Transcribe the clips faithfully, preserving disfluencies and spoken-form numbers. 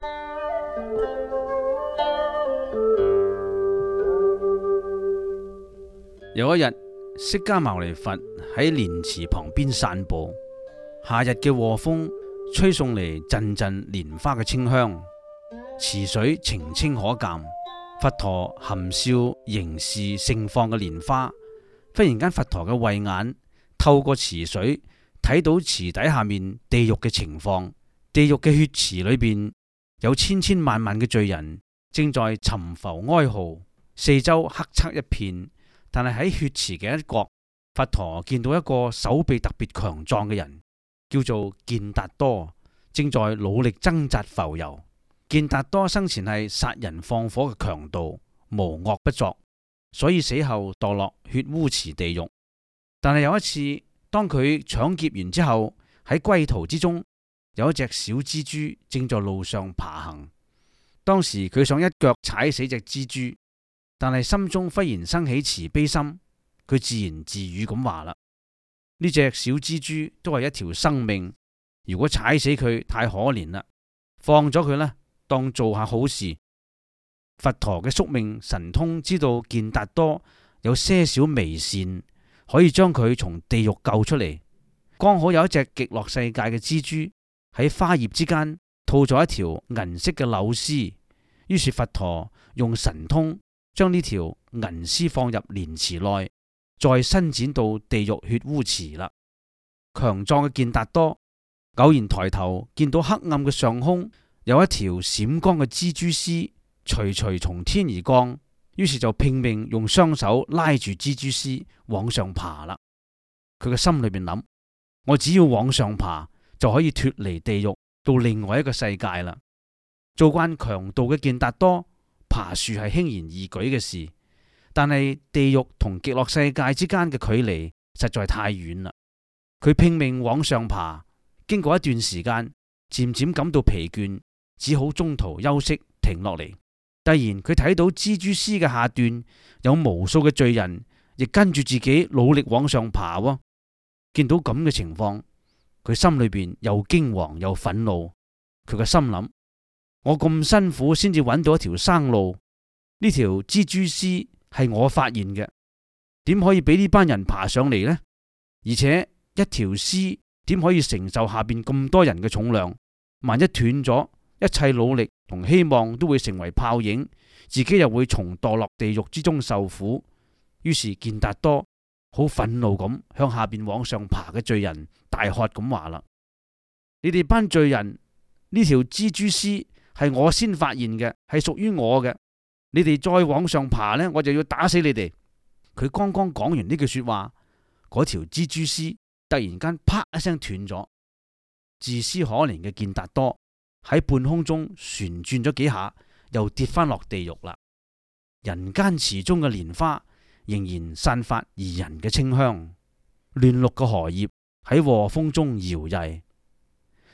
有一日，釋迦牟尼佛喺蓮池旁邊散步，夏日嘅和風吹送嚟陣陣蓮花嘅清香，池水澄清可鑑。佛陀含笑凝視盛放嘅蓮花，忽然間佛陀嘅慧眼透過池水睇到池底下面地獄嘅情況。地獄嘅血池裏邊有千千萬萬嘅罪人正在沉浮哀嚎，四周黑漆一片。但係喺血池嘅一角，佛陀見到一個手臂特別強壯嘅人，叫做健達多，正在努力掙扎浮游。健達多生前係殺人放火嘅強盜，無惡不作，所以死後墮落血污池地獄。但係有一次，當佢搶劫完之後，喺歸途之中，有一隻小蜘蛛正在路上爬行。當時佢想一腳踩死隻蜘蛛，但係心中忽然生起慈悲心，佢自言自語咁話啦：呢隻小蜘蛛都係一條生命，如果踩死佢太可憐啦，放咗佢啦，當做下好事。佛陀嘅宿命神通知道健達多有些少微善，可以將佢從地獄救出嚟。剛好有一隻極樂世界嘅蜘蛛喺花葉之間吐咗一條銀色嘅柳絲，於是佛陀用神通將呢條銀絲放入蓮池內，再伸展到地獄血污池啦。強壯嘅健達多偶然抬頭見到黑暗嘅上空有一條閃光嘅蜘蛛絲徐徐從天而降，於是就拼命用雙手拉住蜘蛛絲往上爬啦。佢嘅心裏邊諗：我只要往上爬就可以脫離地獄到另外一個世界啦。做慣強盜嘅健達多爬樹係輕而易舉嘅事，但係地獄同極樂世界之間嘅距離實在太遠啦。佢拼命往上爬，經過一段時間，漸漸感到疲倦，只好中途休息停落嚟。突然佢睇到蜘蛛絲嘅下段有無數嘅罪人亦跟住自己努力往上爬喎。見到咁嘅情況，佢心裏邊又驚惶又憤怒。佢個心諗：我咁辛苦先至揾到一條生路，呢條蜘蛛絲係我發現嘅，點可以俾呢班人爬上嚟呢？而且一條絲點可以承受下邊咁多人嘅重量？萬一斷咗，一切努力同希望都會成為泡影，自己又會重墮落地獄之中受苦。於是健達多好憤怒咁向下邊往上爬嘅罪人大喝咁話啦：你哋班罪人，呢條蜘蛛絲係我先發現嘅，係屬於我嘅。你哋再往上爬呢，我就要打死你哋。佢剛剛講完呢句說話，嗰條蜘蛛絲突然間啪一聲斷咗。自私可憐嘅健達多喺半空中旋轉咗幾下，又跌翻落地獄啦。人間池中嘅蓮花仍然散發宜人嘅清香，嫩綠嘅荷葉喺和風中搖曳。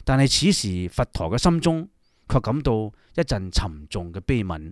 但係此時佛陀嘅心中卻感到一陣沉重嘅悲憫。